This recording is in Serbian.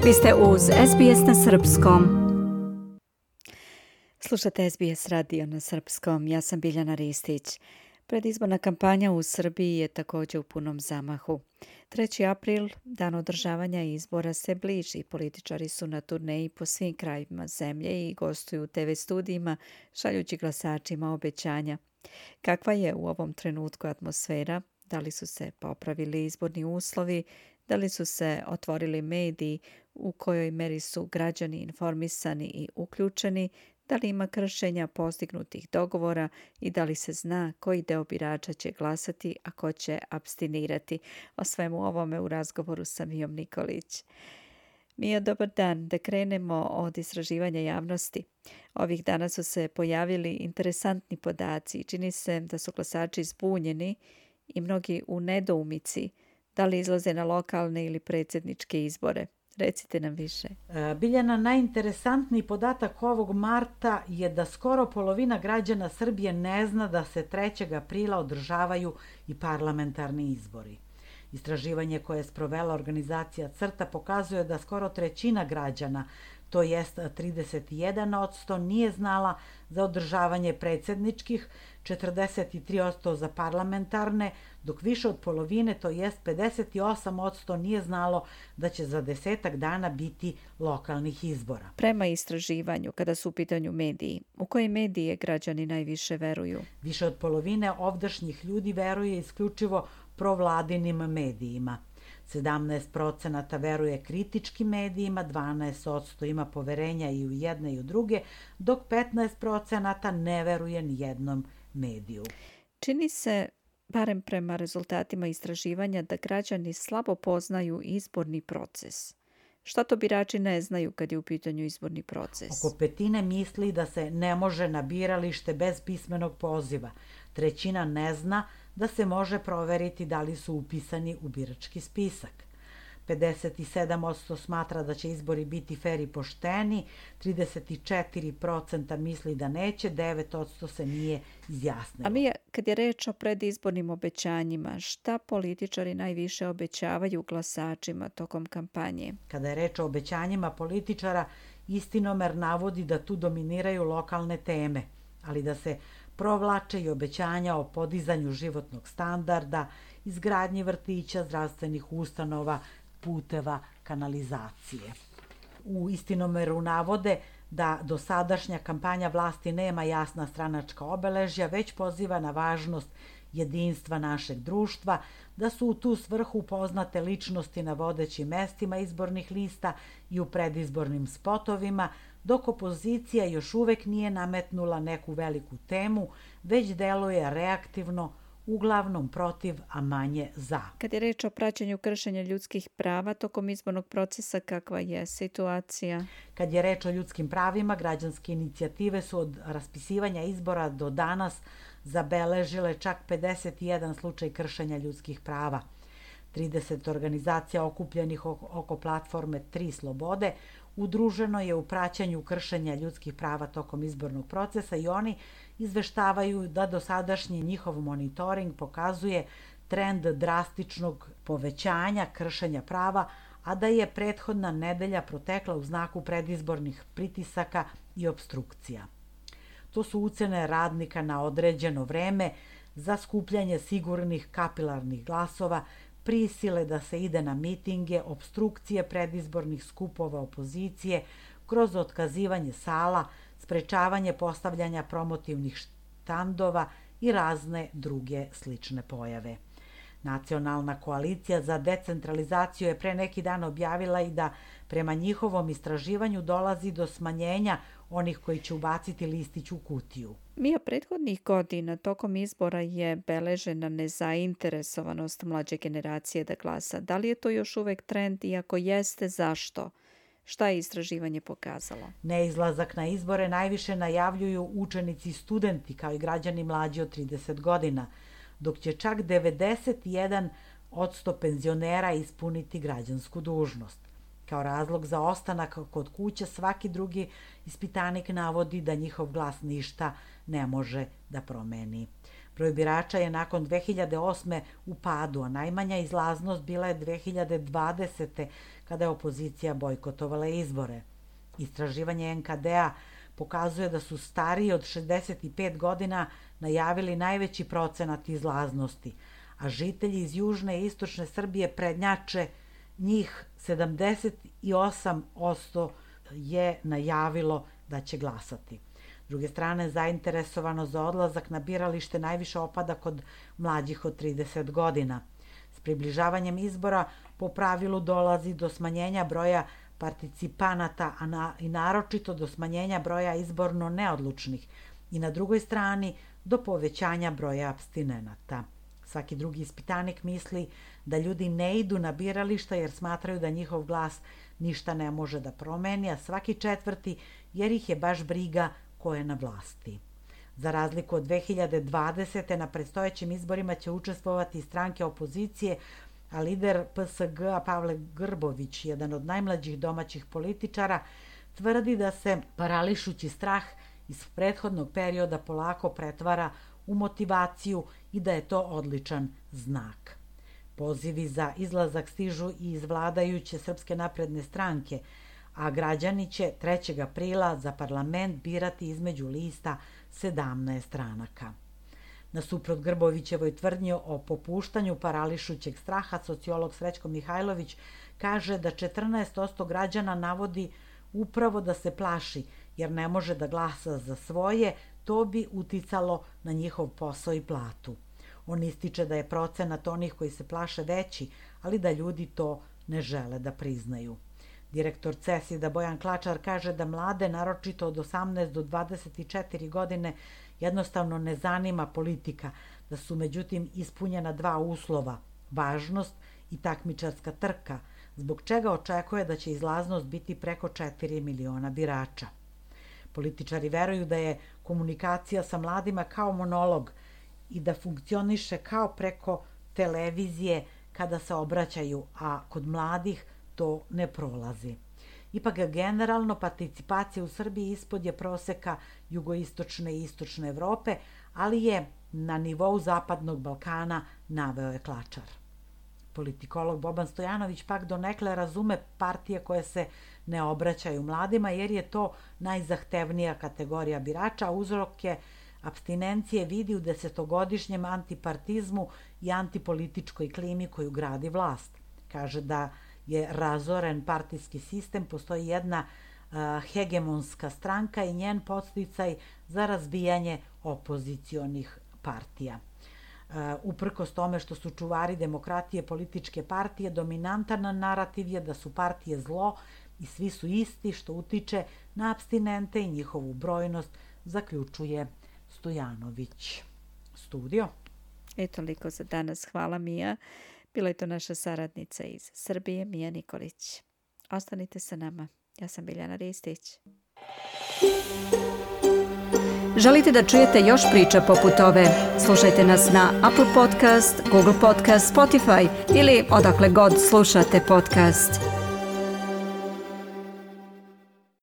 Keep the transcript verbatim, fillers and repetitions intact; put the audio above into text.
Vi ste uz S B S na srpskom. Slušate S B S radio na srpskom. Ja sam Biljana Ristić. Predizborna kampanja u Srbiji je također u punom zamahu. treći april, dan održavanja izbora, se bliži. Političari su na turneji po svim krajevima zemlje i gostuju u te ve studijima, šaljući glasačima obećanja. Kakva je u ovom trenutku atmosfera? Da li su se popravili izborni uslovi? Da li su se otvorili mediji? U kojoj meri su građani informisani i uključeni? Da li ima kršenja postignutih dogovora i da li se zna koji deo birača će glasati, a ko će apstinirati? O svemu ovome u razgovoru sa Mijom Nikolić. Mija, dobar dan. Da krenemo od istraživanja javnosti. Ovih dana su se pojavili interesantni podaci. Čini se da su glasači zbunjeni i mnogi u nedoumici da li izlaze na lokalne ili predsjedničke izbore. Recite nam više. Biljana, najinteresantniji podatak ovog marta je da skoro polovina građana Srbije ne zna da se trećeg aprila održavaju i parlamentarni izbori. Istraživanje koje je sprovela organizacija CRTA pokazuje da skoro trećina građana, to jest trideset jedan posto, nije znala za održavanje predsjedničkih, četrdeset tri posto za parlamentarne, dok više od polovine, to jest pedeset osam posto, nije znalo da će za desetak dana biti lokalnih izbora. Prema istraživanju, kada su u pitanju mediji, u koje medije građani najviše veruju? Više od polovine ovdašnjih ljudi veruje isključivo provladinim medijima. sedamnaest procenata veruje kritičkim medijima, dvanaest posto ima poverenja i u jedne i u druge, dok petnaest procenata ne veruje ni jednom mediju. Čini se, barem prema rezultatima istraživanja, da građani slabo poznaju izborni proces. Šta to birači ne znaju kad je u pitanju izborni proces? Oko petine misli da se ne može na biralište bez pismenog poziva. Trećina ne zna da se može proveriti da li su upisani u birački spisak. pedeset sedam posto smatra da će izbori biti fer i pošteni, trideset četiri procenta misli da neće, devet posto se nije izjasnilo. A Mija, kad je reč o predizbornim obećanjima, šta političari najviše obećavaju glasačima tokom kampanje? Kada je reč o obećanjima političara, Istinomer navodi da tu dominiraju lokalne teme, ali da se provlače i obećanja o podizanju životnog standarda, izgradnji vrtića, zdravstvenih ustanova, puteva, kanalizacije. U Istinomeru navode da dosadašnja kampanja vlasti nema jasna stranačka obeležja, već poziva na važnost jedinstva našeg društva, da su u tu svrhu poznate ličnosti na vodećim mestima izbornih lista i u predizbornim spotovima, dok opozicija još uvek nije nametnula neku veliku temu, već deluje reaktivno, uglavnom protiv, a manje za. Kad je reč o praćenju kršenja ljudskih prava tokom izbornog procesa, kakva je situacija? Kad je reč o ljudskim pravima, građanske inicijative su od raspisivanja izbora do danas zabeležile čak pedeset jedan slučaj kršenja ljudskih prava. trideset organizacija okupljenih oko platforme Tri slobode udruženo je u praćenju kršenja ljudskih prava tokom izbornog procesa i oni izveštavaju da dosadašnji njihov monitoring pokazuje trend drastičnog povećanja kršenja prava, a da je prethodna nedelja protekla u znaku predizbornih pritisaka i obstrukcija. To su ucene radnika na određeno vreme za skupljanje sigurnih kapilarnih glasova, prisile da se ide na mitinge, obstrukcije predizbornih skupova opozicije, kroz otkazivanje sala, sprečavanje postavljanja promotivnih štandova i razne druge slične pojave. Nacionalna koalicija za decentralizaciju je pre neki dan objavila i da prema njihovom istraživanju dolazi do smanjenja onih koji će ubaciti listić u kutiju. Mija, prethodnih godina tokom izbora je beležena nezainteresovanost mlađe generacije da glasa. Da li je to još uvek trend i ako jeste, zašto? Šta je istraživanje pokazalo? Neizlazak na izbore najviše najavljuju učenici i studenti kao i građani mlađi od trideset godina, dok će čak devedeset jedan posto penzionera ispuniti građansku dužnost. Kao razlog za ostanak kod kuće svaki drugi ispitanik navodi da njihov glas ništa ne može da promeni. Broj birača je nakon dve hiljade osme u padu, a najmanja izlaznost bila je dve hiljade dvadesete kada je opozicija bojkotovala izbore. Istraživanje en ka de a pokazuje da su stariji od šezdeset pet godina najavili najveći procenat izlaznosti, a žitelji iz južne i istočne Srbije prednjače, njih sedamdeset osam posto je najavilo da će glasati. S druge strane, zainteresovano za odlazak na biralište najviše opada kod mlađih od trideset godina. S približavanjem izbora po pravilu dolazi do smanjenja broja participanata, a na, i naročito do smanjenja broja izborno neodlučnih i na drugoj strani do povećanja broja apstinenata. Svaki drugi ispitanik misli da ljudi ne idu na birališta jer smatraju da njihov glas ništa ne može da promeni, a svaki četvrti jer ih je baš briga ko je na vlasti. Za razliku od dve hiljade dvadesete na predstojećim izborima će učestvovati stranke opozicije, a lider pe es ge a Pavle Grbović, jedan od najmlađih domaćih političara, tvrdi da se parališući strah iz prethodnog perioda polako pretvara u motivaciju i da je to odličan znak. Pozivi za izlazak stižu i iz vladajuće Srpske napredne stranke, a građani će trećeg aprila za parlament birati između lista sedamnaest stranaka. Nasuprot Grbovićevoj tvrdnji o popuštanju parališućeg straha, sociolog Srećko Mihajlović kaže da četrnaest posto građana navodi upravo da se plaši jer ne može da glasa za svoje, to bi uticalo na njihov posao i platu. On ističe da je procenat onih koji se plaše veći, ali da ljudi to ne žele da priznaju. Direktor CESID-a Bojan Klačar kaže da mlade, naročito od osamnaest do dvadeset četiri godine, jednostavno ne zanima politika, da su međutim ispunjena dva uslova, važnost i takmičarska trka, zbog čega očekuje da će izlaznost biti preko četiri miliona birača. Političari veruju da je komunikacija sa mladima kao monolog i da funkcioniše kao preko televizije kada se obraćaju, a kod mladih to ne prolazi. Ipak generalno participacija u Srbiji ispod je proseka jugoistočne i istočne Evrope, ali je na nivou Zapadnog Balkana, naveo je Klačar. Politikolog Boban Stojanović pak donekle razume partije koje se ne obraćaju mladima jer je to najzahtevnija kategorija birača, a uzroke apstinencije vidi u desetogodišnjem antipartizmu i antipolitičkoj klimi koju gradi vlast. Kaže da je razoren partijski sistem, postoji jedna uh, hegemonska stranka i njen podsticaj za razbijanje opozicionih partija. Uh, uprkos tome što su čuvari demokratije političke partije, dominantan narativ je da su partije zlo i svi su isti, što utiče na apstinente i njihovu brojnost, zaključuje Stojanović. Studio. E toliko za danas. Hvala, Mija. Bila je to naša saradnica iz Srbije, Mija Nikolić. Ostanite sa nama. Ja sam Biljana Ristić. Želite da čujete još priča poput ove? Slušajte nas na Apple Podcast, Google Podcast, Spotify ili odakle god slušate podcast.